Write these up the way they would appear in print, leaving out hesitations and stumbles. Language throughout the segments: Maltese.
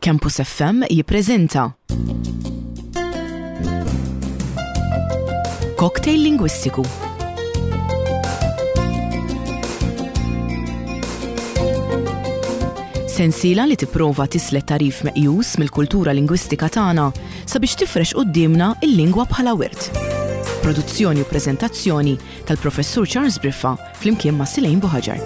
Campus FM jippreżenta Cocktail Lingwistiku. Sensiela li tipprova tislet tagħrif meqjus mill-kultura lingwistika tagħna sabiex tifrex quddiemna l-lingwa bħala wirt. Produzzjoni u preżentazzjoni tal-Professur Charles Briffa flimkien ma' Silejn Buħaġar.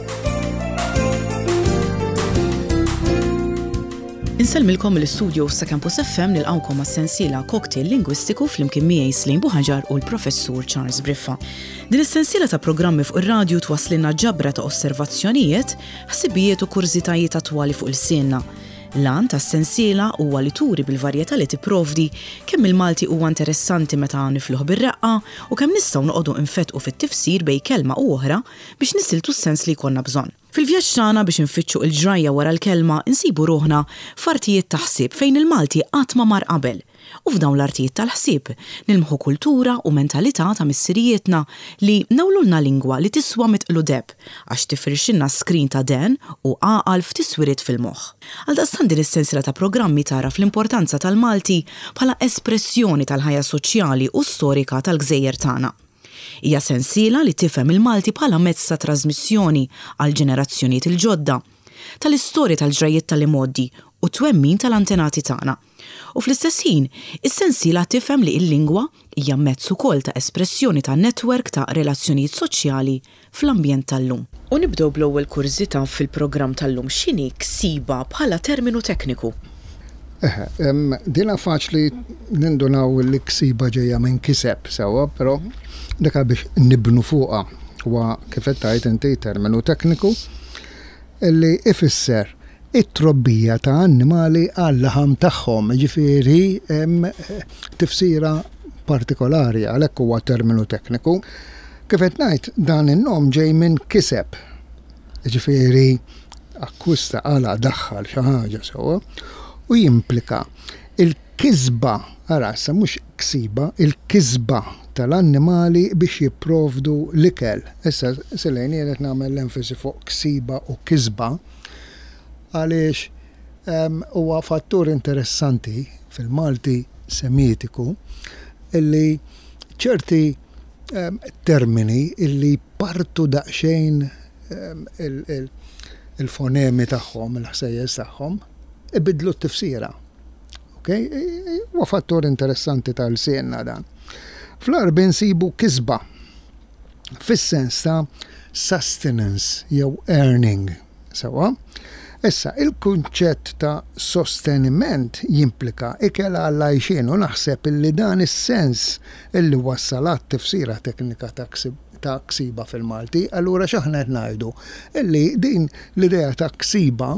Insellmilkom mill-istudios ta' Campus FM nilqgħukom għas-sensiela Cocktail Lingwistiku flimkien miegħi Slejn Buħaġar u l-Professur Charles Briffa. Din is-sensiela ta' programmi fuq ir-radju twasslilna ġabra ta' osservazzjonijiet, ħsibijiet u kurżitajiet attwali fuq ilsienna. L-għan tas-sensiela huwa li turi bil-varjetà li tipprovdi kemm il-Malti huwa interessanti meta nifluh bir-reqqa u kemm nistgħu noqogħdu nfettqu fit-tifsir bejn kelma u oħra biex nisiltu s-sens li jkollna bżonn. Fil-vjaġġ tagħna biex infittxu il-ġrajja wara l-kelma nsibu ruħna f'artijiet ta' ħsieb fejn il-Malti qatt ma mar qabel. U f'dawn l-artijiet tal-ħsieb nilmħu kultura u mentalità ta' missirijietna li newlulna lingwa li tiswa mitqlu deheb għax tifirxilna skrin ta' dehen u għaqal f'tiswiriet fil-moħħ. Għaldaqstant din is-sensiela ta' programmi tagħraf l-importanza tal-Malti bħala espressjoni tal-ħajja soċjali u storika tal-gżejjer tagħna. Hija sensiela li tifhem il-Malti bħala mezz ta' trażmissjoni għall-ġenerazzjonijiet il-ġodda, tal-istorja tal-ġrajjiet tal-imgħoddi u t-twemmin tal-antenati tagħna. U fl-istess ħin, is-sensiela tifhem li l-lingwa hija mezz ukoll ta' espressjoni ta' netwerk ta' relazzjonijiet soċjali fl-ambjent tal-lum. U nibdew bl-ewwel kurżità fil-programm tal-lum, x'inhi ksiba bħala terminu tekniku? Eħe, dinha faċli nindunaw li ksiba ġejja minn kiseb, sewwa, però dik biex nibnu fuqha. Huwa kif qed tgħid inti terminu tekniku li ifisser it-trobbija ta' annimali għal-laħam tagħhom, jiġifieri hemm tifsira partikolari, għalhekk huwa terminu tekniku. Kif qed ngħid, dan in-nom ġej minn kiseb, jiġifieri akkwista, qala', daħħal xi ħaġa sewwa, u jimplika il-kisba, ara issa mhux ksiba, il-kisba tal-annimali biex jipprovdu l-ikel. Issa, Silejn, jien qed nagħmel l-enfasi fuq ksiba u kisba għaliex huwa fattur interessanti fil-Malti Semitiku illi ċerti termini illi jpartu daqsxejn il-fonemi tagħhom, il-ħsejjes tagħhom, ibiddlu t-tifsira. Okay? Huwa fattur interessanti tal-lsienna dan. Fl-Għarbi nsibu kisba fis-sens ta' sustenance jew earning. Sewwa? Issa, il-kunċett ta' sosteniment jimplika ikel għall-għajxien u naħseb illi dan is-sens illi wassal għat-tifsira teknika ta' ta' ksiba fil-Malti. Allura x'aħna qed ngħidu? Illi din l-idea ta' ksiba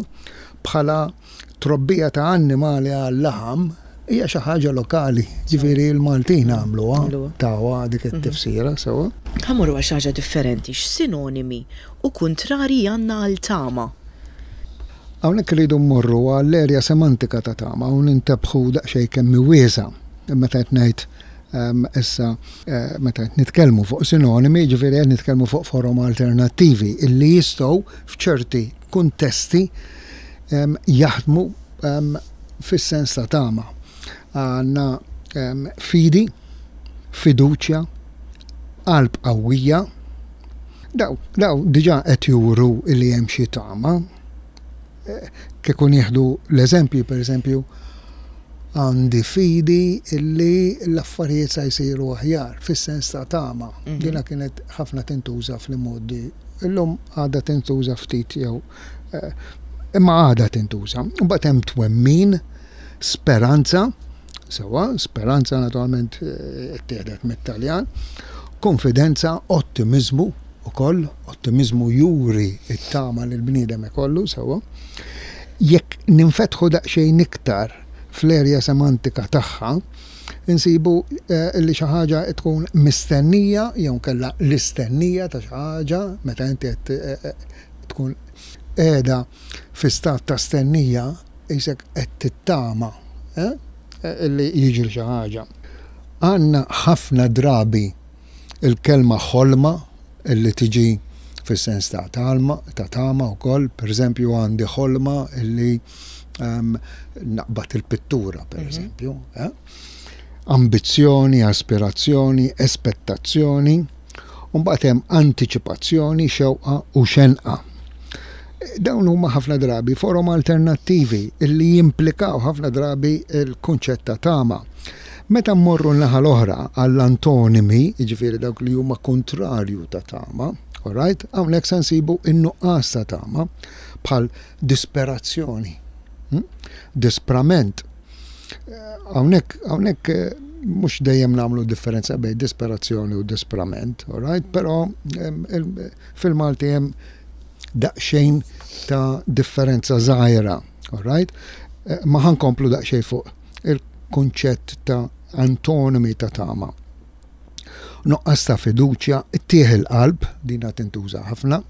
bħala Trobbija ta' annimali għal-laħam hija xi ħaġa lokali, ġifieri l-Maltin għamluha, tawha dik it-tifsira sewwa. Ħa mmorru għal xi ħaġa differenti, x'sinonimi u kuntrarji għandna għal tama? Hawnhekk irridu mmorru għall-erja semantika ta' tama u nintebħu daqsxejn kemm hi wiesgħa. Meta qed ngħid issa meta qed nitkellmu fuq sinonimi, jiġifieri qed nitkellmu fuq forom alternattivi illi jistgħu f'ċerti kuntesti jaħdmu fis-sens ta' tama. Għandna fidi, fiduċja, qalb qawwija. Daw, daw diġà qed juru li hemm xi tama. Kieku nieħdu l-eżempju, pereżempju, għandi fidi li l-affarijiet sa jsiru aħjar, fis-sens ta' tama. Dina kienet ħafna tintuża fl-imgħoddi. Illum għadha tintuża ftit jew imma għadha tintuża. Imbagħad hemm twemmin, speranza, sewwa, speranza naturalment ittieħdet mit-Taljan, konfidenza, ottimiżmu ukoll, ottimiżmu juri t-tama li l-bniedem ikollu, sewwa. Jekk ninfetħu daqsxejn iktar fl-erja semantika tagħha, insibu li xi ħaġa tkun mistennija jew inkella l-istennija ta' xi ħaġa meta inti qed tkun qiegħda fi stat ta' stennija qisek qed tittama li jiġri xi ħaġa. Għandna ħafna drabi l-kelma ħolma li tiġi fis-sens ta' talma, ta' tama wkoll, pereżempju għandi ħolma li. Naqbad il-pittura, per eżempju. Eh? Ambizzjoni, aspirazzjoni, espettazzjoni, u mbagħad hemm antiċipazzjoni, xewqa u xenqa. Dawn huma ħafna drabi forom alternattivi li jimplikaw ħafna drabi l-kunċett ta' tama. Meta mmorru n-naħa l-oħra għall-antonimi, jiġifieri dawk li huma kontrarju ta' tama, alright, hawnhekk se nsibu n-nuqqas ta' tama bħal disperazzjoni, disprament. Hawnhekk hawnhekk mhux dejjem nagħmlu differenza bejn disperazzjoni u disprament, alright, però fil-Malti hemm daqsxejn ta' differenza żgħira, alright? Ma ħankomplu daqsxejn fuq il-kunċett ta' antonimi ta' tama. Nuqqas ta' fiduċja, tieħ il-qalb, dina tintuża ħafna,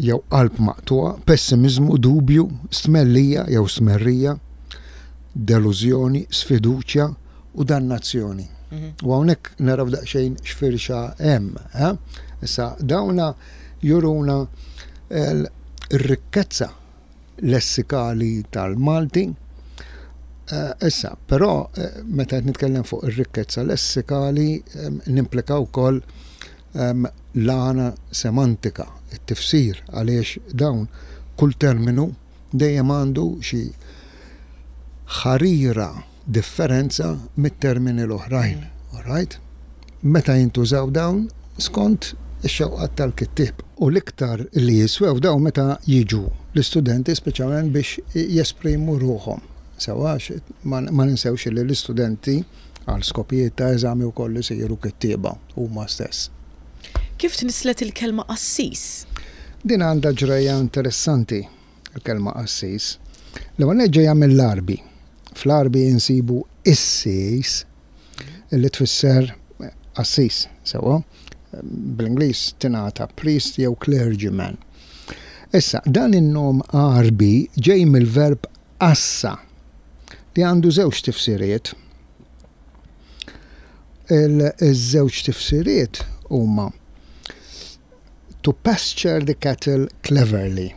jew qalb maqtugħa, pessimiżmu, dubju, stmellija jew stmerrija, delużjoni, sfiduċja u dannazzjoni. U hawnhekk naraw daqsxejn x'firxa hemm. Eh? Issa dawna juruna r-rikkezza lessikali tal-Malti. Eh, issa, però eh, meta qed nitkellem fuq ir-rikkezza lessikali nimplika wkoll l-għana semantika, it-tifsir għaliex dawn kull terminu dejjem għandu xi ħarira differenza mit-termini l-oħrajn. Alright? Meta jintużaw dawn skont ix-xewqat tal-kittieb. U l-iktar li jiswew dawn meta jiġu l-istudenti speċjalment biex jesprimu ruħhom. Sewwa għax ma ninsewx li l-istudenti għal skopijiet ta' eżami wkoll isiru kittieba huma stess. Kif tnisslet il-kelma qassis? Din għandha ġrajja interessanti, il-kelma qassis. L-ewwel nett ġejja mill-Għarbi. Fl-Għarbi insibu issis li tfisser qassis, sewwa? Bl-Ingliż tingħata priest jew clergyman. Issa, dan in-nom Għarbi ġej mill-verb qassa li għandu żewġ tifsiriet. Il-żewġ tifsiriet huma to pasture the cattle cleverly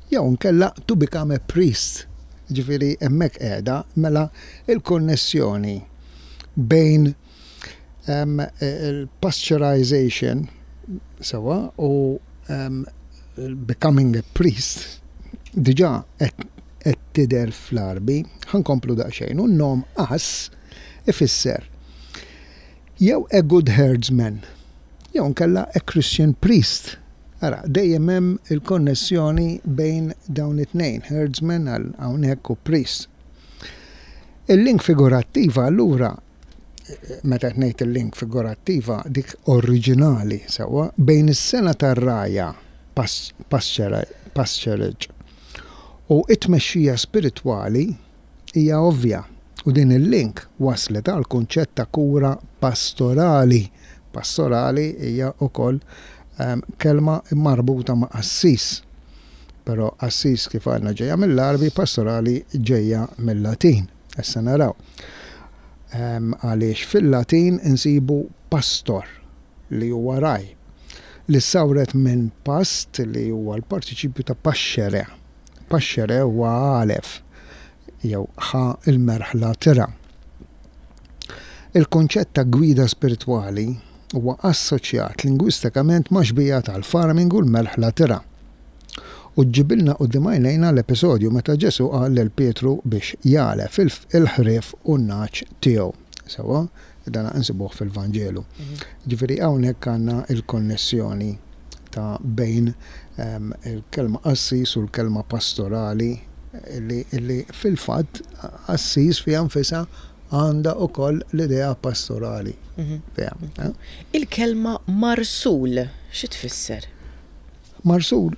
jew inkella to become a priest. Ġifieri hemmhekk qiegħda mela il-konnessjoni bejn il-pasteurization sewwa u becoming a priest diġà qed tidher fl-Għarbi. Ħa nkomplu daqsxejn. U n-nom qass ifisser jew a good herdsman jew inkella a Christian priest. Ara, dejjem hemm il-konnessjoni bejn dawn it-tnejn, herdsman għal hawnhekk u priest. Il-link figurattiva allura meta qed ngħid il-link figurattiva dik oriġinali sewwa bejn is-sengħa tar-rgħajja pasturage u t-tmexxija spiritwali hija ovvja u din il-link wasslet għall-kunċett ta' kura pastorali. Pastorali hija wkoll kelma marbuta ma' qassis. Però qassis kif għadna ġejja mill-Għarbi, pastorali ġejja mil-Latin. Issa naraw. Għaliex fil-Latin insibu pastor li huwa ragħaj, li ssawret minn past li huwa l-partiċipju ta' pascere. Pascere huwa għalef jew ħa l-merħla tirgħa. Il-kunċett ta' gwida spiritwali huwa assoċjat lingwistikament ma' xbieha tal-farming u l-merħla tirgħa. U ġġibilna quddiem għajnejna l-episodju meta Ġesù qal lil Pietru biex jagħlef il-ħrief u n-nagħaġ tiegħu. Sewwa, dan insibuh fil-Vanġelu. Ġifieri hawnhekk għandna l-konnessjoni ta' bejn il-kelma qassis u l-kelma pastorali li fil-fatt qassis fiha nfisha għandha wkoll l-idea pastorali fiha. Il-kelma marsul xi tfisser? Marsul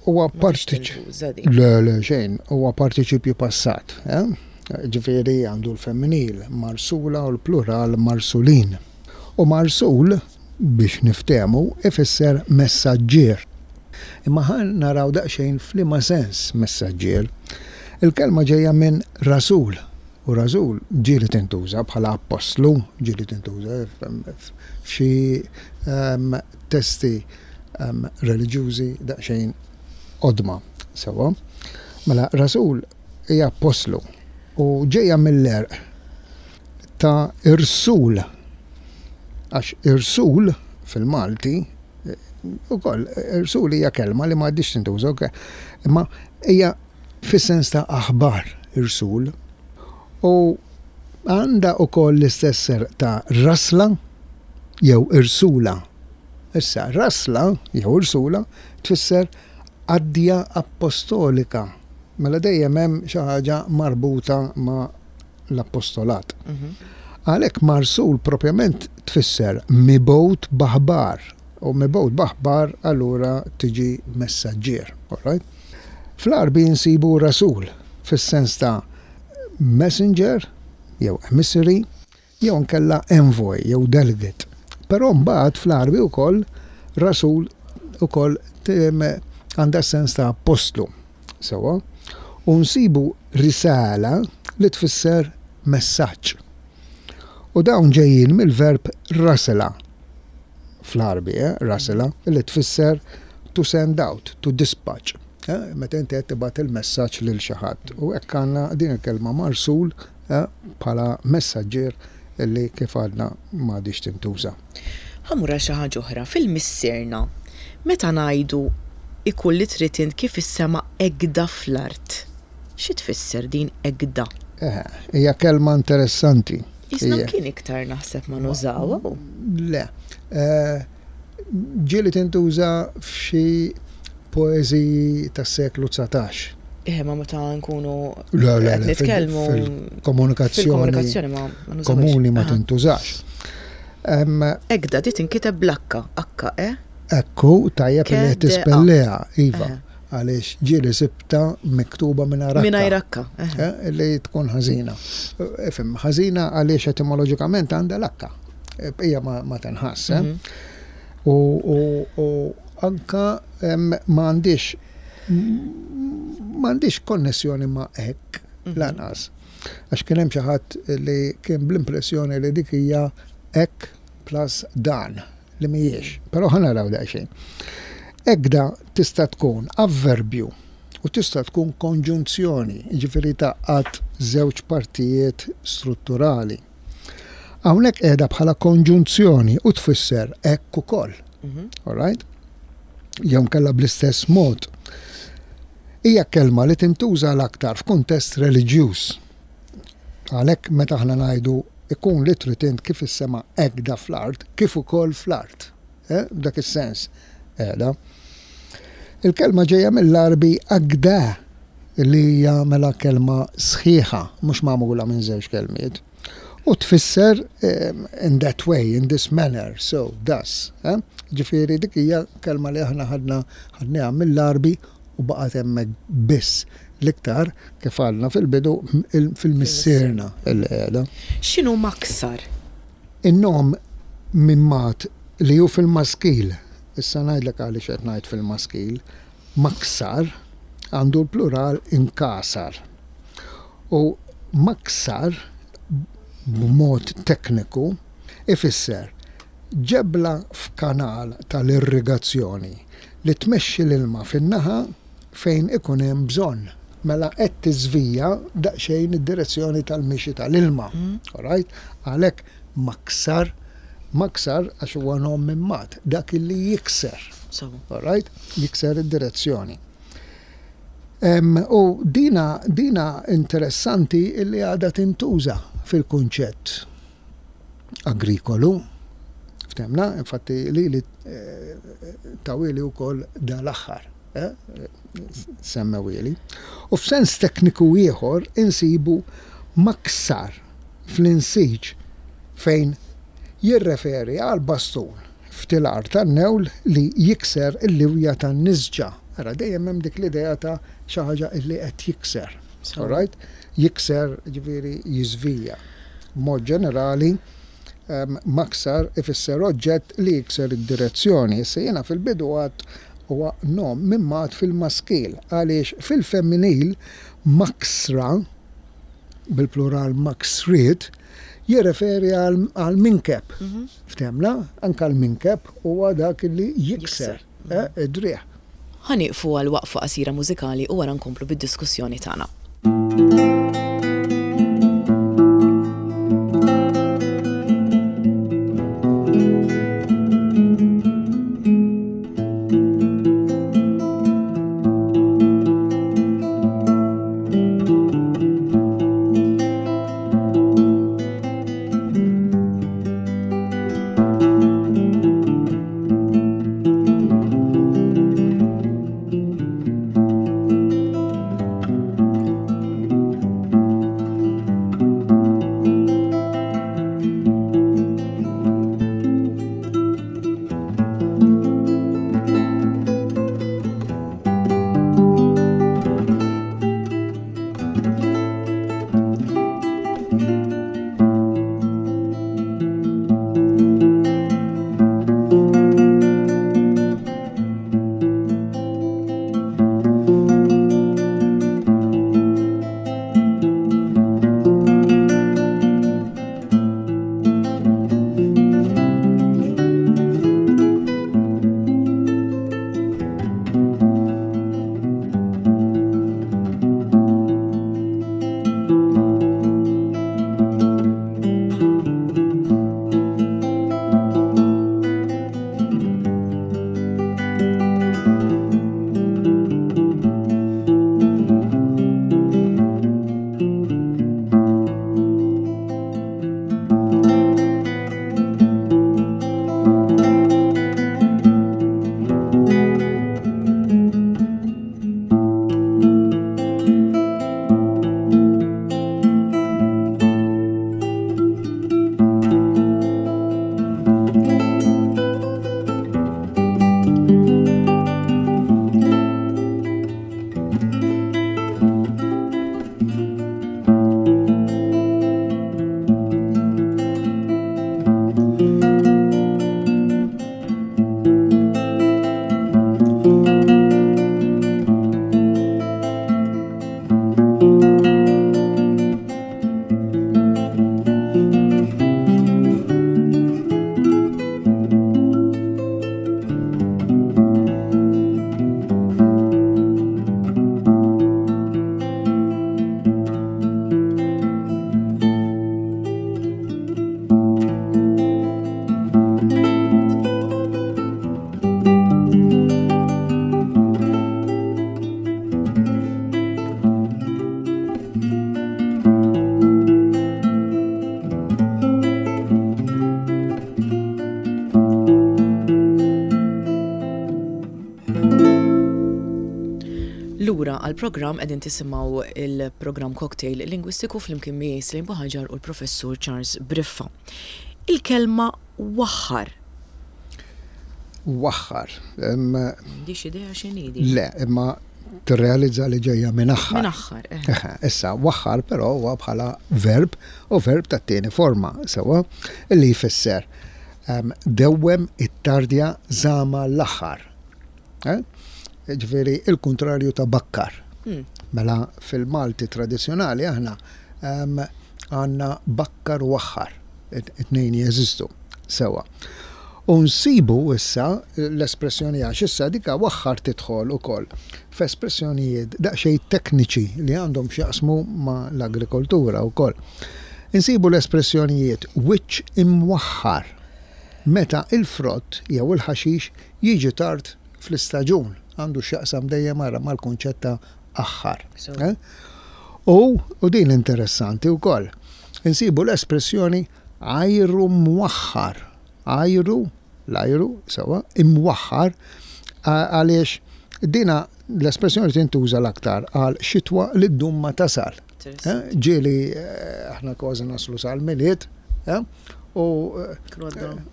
huwa partiċipju. Le, le, xejn, huwa partiċipju passat. Eh? Ġifieri għandu l-femminil marsula u l-plural marsulin. U marsul, biex niftehmu, ifisser messaġġier. Imma ħa naraw daqsxejn f'liema sens messaġġier. Il-kelma ġejja minn rasul, u rasul ġieli tintuża bħala appostlu, ġieli tintuża f'xi ehm, testi reliġjużi daqsxejn qodma sewwa. Mela, rasul hija appostlu u ġejja mill-għerq ta' irsul. Għax irsul fil-Malti ukoll irsul hija kelma li m'għadhiex tintuża, imma hija fis-sens ta' aħbar irsul. U għandha ukoll l-istess għerq ta' rasla jew irsula. Issa, rasla jew irsula tfisser qaddja appostolika. Mela dejjem hemm xi ħaġa marbuta ma' l-appostolat. Għalhekk marsul propjament tfisser mibgħut b'aħbar u mibgħut b'aħbar allura tiġi messaġġier. All right? Fl-Għarbi nsibu rasul fis-sens ta' messenger jew emissary jew inkella envoy jew delegate. Però mbagħad fl-Għarbi wkoll rasul ukoll għandha s-sens ta' appostlu. Sewwa? U nsibu risala li tfisser messaġġ. U dawn ġejjin mill-verb rasela fl-Għarbi, eh, rasela, li tfisser to send out, to dispatch. Eh, meta inti qed tibgħat il-messaġġ lil xi ħadd. U hekk għandna din il-kelma marsul eh, bħala messaġġier li kif għadna m'għadhiex tintuża. Ħa mmur għal xi ħaġa oħra. Fil-Missierna, meta ngħidu ikun li trid int kif is-sema hekda fl-art, xi tfisser din hekda? Eħe, hija kelma interessanti. Qisna mkien iktar naħseb ma nużawha u. Le. Ġieli tintuża f'xi poeżiji tas-seklu 19. Eħe, ma meta nkunu Le, le, qed le, nitkellmu fil-komunikazzjoni fil-komunikazzjoni ma ma nużawhiex. komuni ma Aha. tintużax. Em, Ekda di tinkiteb bl-H, H E. Ekku, tajjeb li K qed D A. tispelliha, iva, Eħe. għaliex ġieli sibta miktuba mingħajr H. Mingħajr H, eħe. Eh, li tkun ħażina. Ifhem, ħażina għaliex etimoloġikament għandha l-H. Hija ma, ma tinħass, eh? Mhm. U, u, u anka em, ma għandix m'għandix konnessjoni ma' hekk lanqas. Għax kien hemm xi ħadd li kien bl-impressjoni li dik hija hekk plus dan li mhijiex. Però ħa naraw daqsxejn. Ekda tista' tkun avverbju u tista' tkun konġunzjoni, jiġifieri tgħaqqad żewġ partijiet strutturali. Hawnhekk qiegħda bħala konġunzjoni u tfisser hekk ukoll. All right? Jew inkella bl-istess mod. Hija kelma li tintuża l-aktar f'kuntest reliġjuż. Għalhekk meta aħna ngħidu ikun li trid int kif is-sema hekk fl-art, kif ukoll fl-art. Eh? B'dak is-sens qiegħda. Il-kelma ġejja mill-Għarbi agda li hija mela kelma sħiħa, mhux magħmula minn żewġ kelmiet. U tfisser in that way, in this manner, so, thus. Eh? Ġifieri dik hija kelma li aħna ħadna ħadniha mill-Għarbi u baqgħet hemmhekk biss. L-iktar, kif għadna fil-bidu, fil-missierna li qiegħda. X'inhu maksar? In-nom mimmat li hu fil-maskil, issa ngħidlek għaliex qed ngħid fil-maskil, maksar għandu l-plural inkasar. U maksar b'mod tekniku ifisser ġebla f'kanal tal-irrigazzjoni li tmexxi l-ilma fin-naħa fejn ikun hemm bżonn. Mela qed tiżvija daqsxejn id-direzzjoni tal-mixi tal-ilma. All right? Għalhekk maksar, maksar għax huwa nom mimmat, dak li jikser. All right? Jikser id-direzzjoni. U dina, dina interessanti illi għadha tintuża fil-kunċett agrikolu. Ftemna, infatti li li eh, tawili wkoll dal-aħħar. Eh, semmewili. U f'sens tekniku ieħor insibu maksar fl-insiġ fejn jirreferi għal bastun ftilar tan-newl li jikser il-liwja tan-nisġa. Ara dejjem hemm dik l-idea ta' xi ħaġa li qed jikser. All right? Jikser ġifieri jiżvija. B'mod ġenerali, maksar ifisser oġġett li jikser id-direzzjoni. Issa jiena fil-bidu għad huwa nom mimmat fil-maskil għaliex fil-femminil maksra bil-plural maksriet jirreferi għal minkeb. Ftemna, anka l-minkeb huwa dak li jikser id-driegħ. Ħa nieqfu għal waqfa qasira mużikali u wara nkomplu bid-diskussjoni tagħna. Lura għall-programm qegħdin tisimgħu il-programm Cocktail Lingwistiku flimkien miegħi Slim Buħaġar u l-Professur Charles Briffa. Il-kelma waħħar. Waħħar. M'għandix idea x'inhi din. Le, imma tirrealizza li ġejja minn aħħar. Minn aħħar, eh. Issa, waħħar però huwa bħala verb u verb tat-tieni forma, sewwa, li jfisser dewwem ittardja żama l-aħħar. Eh? Ġifieri il-kuntrarju ta' bakkar. Hmm. Mela fil-Malti tradizzjonali aħna għandna bakkar u aħħar. It-tnejn jeżistu sewa. U nsibu issa l-espressjoni għax issa dika waħħar tidħol ukoll f'espressjonijiet daqsxejn tekniċi li għandhom x'jaqsmu ma' l-agrikoltura wkoll. Insibu l-espressjonijiet wiċċ imwaħħar meta il-frott jew il-ħaxix jiġi tard fl-istaġun, għandu x'jaqsam dejjem ara mal-kunċett ta' aħħar. Eh? U, u din interessanti wkoll, insibu l-espressjoni ajru mwaħħar. Ajru, l-ajru, sewa, imwaħħar, għaliex dina l-espressjoni tintuża l-aktar għal xitwa li ddum ma tasal. Eh? Ġieli eh, aħna kważi naslu sal-miliet, eh? u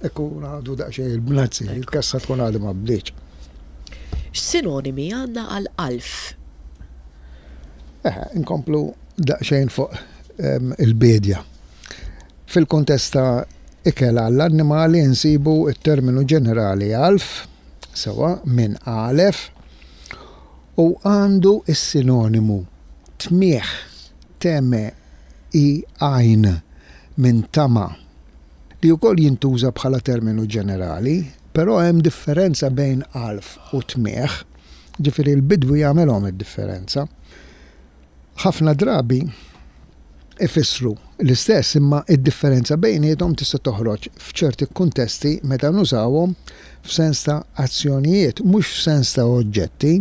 ikun għadu daqsxejn il-bnazzi, il-kassa tkun għadu ma bdietx. X'sinonimi għandna għal alf? Inkomplu daqsxejn fuq il-biedja. Fil-kuntest ta' ikel għall-annimali nsibu t-terminu ġenerali għalf, sewwa, minn għalef, u għandu s-sinonimu tmiegħ, teme i għajn, minn tama', li wkoll jintuża bħala terminu ġenerali, però hemm differenza bejn għalf u tmiegħ. Ġifieri l-bidwi jagħmelhom id-differenza. Ħafna drabi ifissru l-istess imma d-differenza bejniethom tista' toħroġ f'ċerti kuntesti meta nużawhom f'sens ta' azzjonijiet mhux f'sens ta' oġġetti.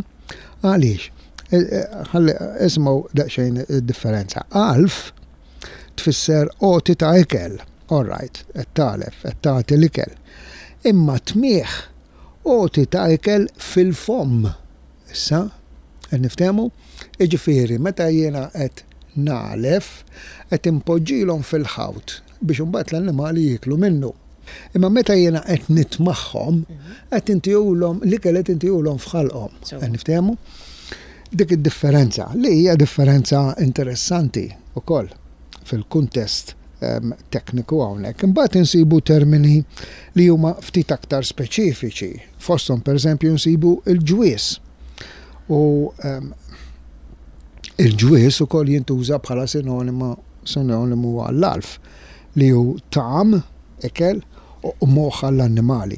Għaliex? E, e, ħalli isimgħu daqsxejn id-differenza. Għalf tfisser għoti ta' ikel, all right, qed tagħlef, qed tagħti l-ikel. Imma tmigħ għoti ta' ikel fil-fomm. Issa, qed niftehmu? Jiġifieri, meta jiena qed nagħlef, qed inpoġġilhom fil-ħawt biex imbagħad l-annimali jieklu minnu. Imma meta jiena qed nitmagħhom, qed intihulhom l-ikel qed intihulhom f'ħalqhom. Qed niftehmu? Dik id-differenza, li hija differenza interessanti wkoll fil-kuntest ehm, tekniku hawnhekk. Imbagħad insibu termini li huma ftit aktar speċifiċi. Fosthom pereżempju nsibu l-ġwies. U ehm, il-ġwies ukoll jintuża bħala sinonima sinonimu għall-alf li hu tagħam, ikel, u moħħ għall-annimali.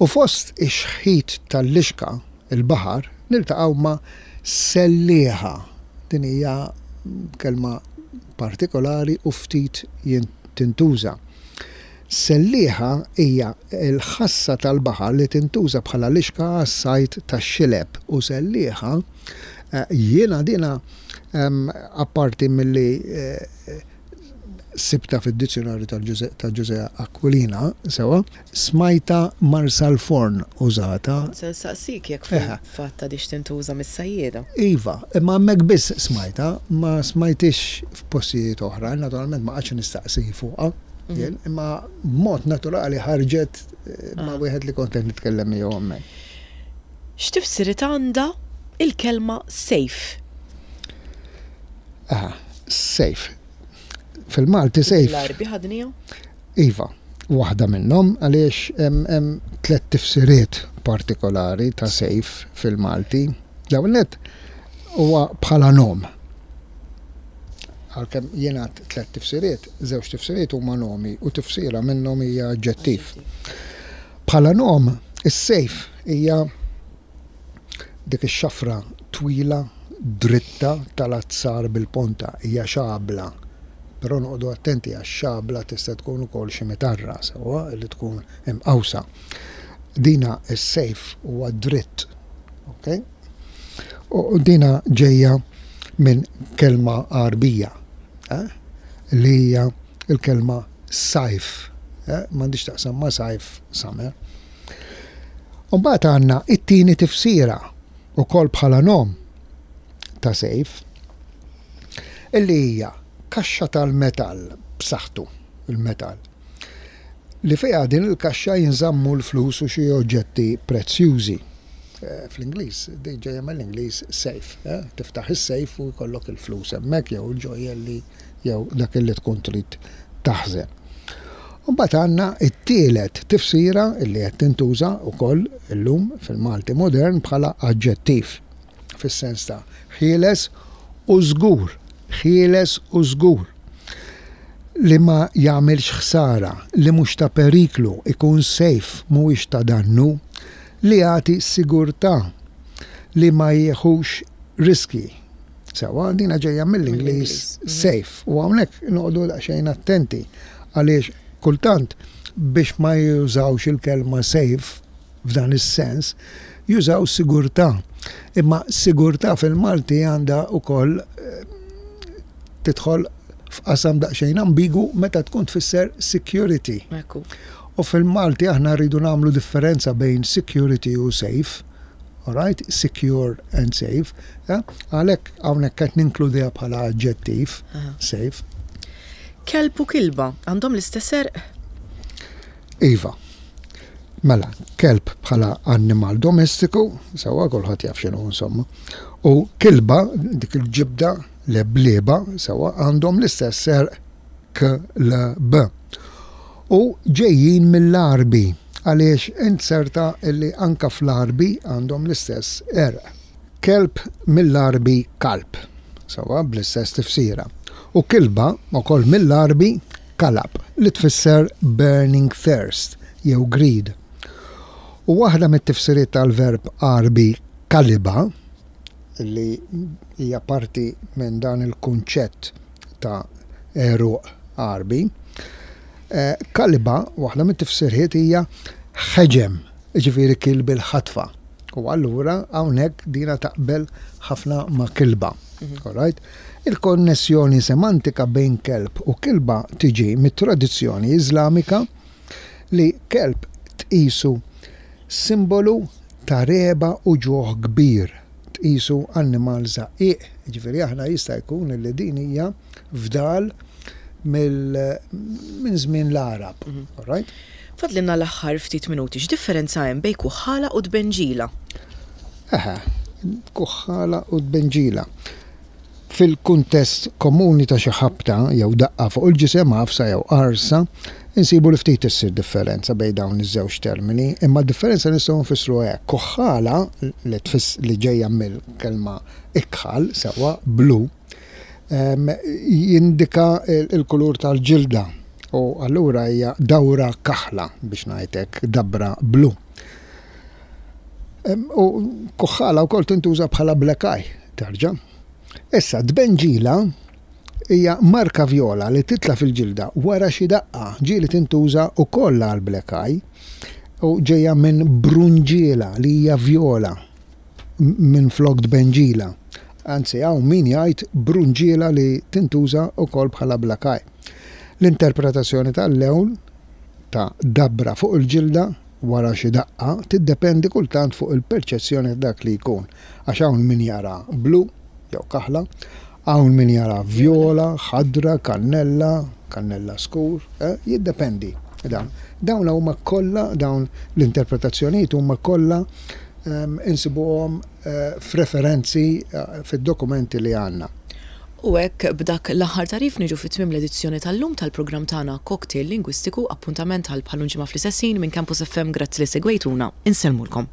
U fost ix-xħit tal-lixka, il-baħar, niltaqgħu ma' sellieħa. Din hija kelma partikolari u ftit tintuża. Sellieħa hija l-ħassa tal-baħar li tintuża bħala lixka għas-sajd tax-xileb u sellieħa jiena dina apparti milli sibtha fid-dizzjunarju ta' Ġużè Aquilina sewwa, smajtha Marsalforn użata. Kont se nsaqsik jekk fil-fatt għadhiex tintuża mis-sajjieda. Iva, imma hemmhekk biss smajtha, ma smajthiex f'postijiet oħra, naturalment ma qgħadx nistaqsi fuqha jien, imma b'mod naturali ħarġet ma' wieħed li kont qed nitkellem miegħu hemmhekk. X'tifsiriet għandha l-kelma safe? Aha, safe. Fil-Malti safe. L-Għarbi ħadniha? Iva, waħda minnhom għaliex hemm tliet tifsiriet partikolari ta' safe fil-Malti. L-ewwel nett huwa bħala nom. Għalkemm jingħad tliet tifsiriet, żewġ tifsiriet huma nomi u tifsira minnhom hija aġġettiv. Bħala nom, is-safe hija Dik ix-xafra twila, dritta tal-azzar bil-ponta hija xabla. Però noqogħdu attenti għax xabla tista' tkun ukoll xi mitarra, sewwa, li tkun imqawsa. Dina s-sejf huwa dritt, ok? U dina ġejja minn kelma Għarbija, eh? li hija l-kelma sajf, eh? M'għandhiex taqsam ma' sajf, summer. U mbagħad għandna it-tieni tifsira ukoll bħala nom ta' sejf illi hija kaxxa tal-metall b'saħħtu, il-metall, li fiha din il-kaxxa jinżammu l-flus u xi oġġetti prezzjużi. Eh, fl-Ingliż, din ġejja mill-Ingliż safe, eh? tiftaħ is-safe u jkollok il-flus hemmhekk jew il-ġojjelli jew dak li tkun trid taħżen. U mbagħad għandna t-tielet tifsira li qed tintuża wkoll illum fil-Malti modern bħala aġġettiv, fis-sens ta' ħieles u żgur, ħieles u żgur, li ma jagħmilx ħsara, li mhux ta' periklu, ikun safe, mhuwiex ta' dannu, li jagħti sigurtà, li ma jieħux riskji. Sewwa, dina ġejja mill-Ingliż safe. U hawnhekk noqogħdu daqsxejn attenti għaliex kultant biex ma jużawx il-kelma safe f'dan is-sens, jużaw sigurtà. Imma sigurtà fil-Malti għandha wkoll eh, tidħol f'qasam daqsxejn ambigu meta tkun tfisser security. U fil-Malti aħna rridu nagħmlu differenza bejn security u safe. Alright, secure and safe. Eh? Għalhekk hawnhekk qed ninkludiha bħala aġġettiv, safe. Kelb u kilba għandhom l-istess għerq? Iva. Mela, kelb bħala annimal domestiku, sewwa kulħadd jaf x'inhu insomma. U kilba, dik il-ġibda, leblieba, sewwa għandhom l-istess għerq K-L-B. U ġejjin mill-Għarbi, għaliex int serta illi anka fl-Għarbi għandhom l-istess għerq. Kelb mill-Għarbi kalb, sewwa bl-istess tifsira. U kilba ukoll mill-Għarbi kalab, li tfisser burning thirst jew greed. U waħda mit-tifsiriet tal-verb Għarbi. Kaliba, li hija parti minn dan il-kunċett ta' għeruq Għarbi, kaliba, waħda mit-tifsirhiet hija ħeġem, jiġifieri kiel bil-ħatfa. U allura hawnhekk dina taqbel ħafna ma' kilba. All right? Il-konnessjoni semantika bejn kelb u kilba tiġi mit-tradizzjoni Iżlamika li kelb tqisu simbolu ta' regħba u ġuħ kbir, tqisu annimal żaqqieq, jiġifieri aħna jista' jkun li din hija fdal minn żmien l-Għarab. All right? Fadlilna l-aħħar ftit minuti, x'differenza hemm bejn kuħħala u tbenġila? Eħe, kuħħala u tbenġila. Fil-kuntest komuni ta' xi ħabta jew daqqa fuq il-ġisem, għafsa jew qarsa, insibu li ftit issir differenza bejn dawn iż-żewġ termini, imma d-differenza nistgħu nfissruha hekk, kuħħala li tfiss li ġejja mill-kelma ikħal, sewwa, blu, jindika l-kulur tal-ġilda u allura hija dawra kaħla biex ngħid hekk, dabra blu. U kuħħala wkoll tintuża bħala black eye, terġa'. Issa, tbenġila hija marka vjola li titla' fil-ġilda wara xi daqqa, ġieli tintuża wkoll għal black eye u ġejja minn brunġiela li hija vjola minflok tbenġila. Anzi, hawn min jgħid brunġiela li tintuża wkoll bħala black eye. L-interpretazzjoni tal-lewn ta' dabra fuq il-ġilda wara xi daqqa tiddependi kultant fuq il-perċezzjoni ta' dak li jkun, għax hawn min jara blu jew kaħla, hawn min jara vjola, ħadra, kannella, kannella skur, eh, jiddependi dan. Dawn huma kollha dawn l-interpretazzjonijiet huma kollha ehm, insibuhom f'referenzi fid-dokumenti li għandna. U hekk b'dak l-aħħar tagħrif niġu fi tmiem l-edizzjoni tal-lum tal-programm tagħna Cocktail Lingwistiku, appuntament għal bħal ġimgħa fl-istess ħin minn Campus FM grazzi li segwejtuna, insellmulkom.